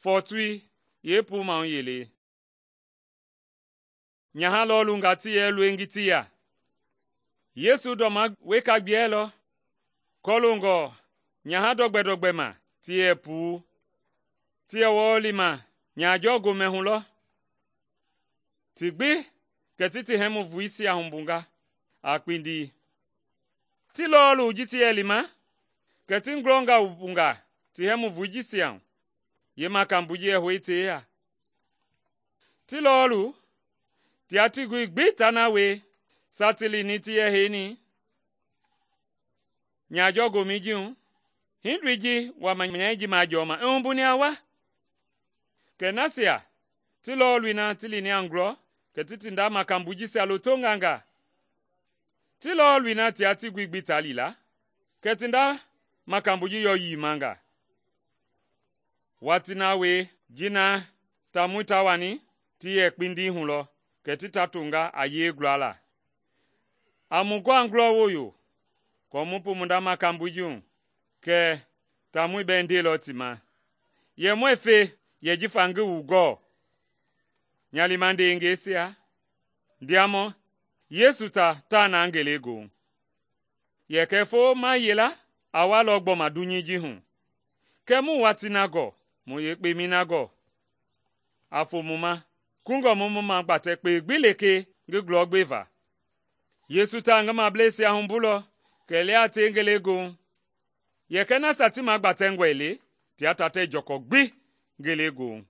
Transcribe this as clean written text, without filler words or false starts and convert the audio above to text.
fɔɔtui yeepuu mahu yelei. Nyaha lɔɔlungaa ti yɛ loengi ti ya. Yesu ndɔma weka gbiɛlɔ kɔloongɔ nyaha dɔgbɛ ma ti yɛ puu. Ti yɛ wɔɔ lima nyahajɔ gomɛ hu lɔ. Ti gbi kɛ ti hɛmu voisia humbunga a kpindi. Ti lɔɔlu ji ti yɛ lima, kɛ ti ngulɔnga wumbunga ti hɛmu voi jisia hu, yeemakamboi ji yɛ hoi tei ya. Ti lɔɔlu tia tigoi gbi ta na wie sa ti lini ti yɛ heini nyahajɔ gomɛi ji hu, hindoi ji wama nyɛi ji majɔɔma i humbuni a wa. Kɛ nasia ti lɔɔlui na ti lini a ngulɔ, kɛ ti nda makamboi jisia lotonga nga. Ti lɔɔlui na tia tigoi gbi ta li la, kɛ ti nda makamboi ji yɔ yimanga. Watii na wie ji na taamɔi ta wani ti yɛ kpindi hu lɔ, kɛ ti ta tonga a yee gulala. A mu gɔa ngulɔ woyo kɔɔ mu pu mu nda makamboi ji hu, kɛ taamɔi bɛɛ ndeilɔ ti ma, yɛ muɛɛ fe yɛ jifa ngi wu gɔɔ. Nya liima ndeengɛisia, ndiamɔ, Yesu taa na ngelegoohu. Yɛ kɛ foo ma yela a walɔ gbɔma dunyei ji hu. Kɛ mu watii na gɔɔ, mu yeekpemɛi na gɔɔ. A fo mu ma, kungɔ mu mu magbatɛ kpei gbi lekee ngi gulɔ gbeva. Yesu taa ngi mableisia humbulɔ kɛ lia a tie ngelegoohu. Yɛ kɛ nasia ti magbatɛngɔe le, tia tatɛ jɔkɔ gbi ngelegoohu.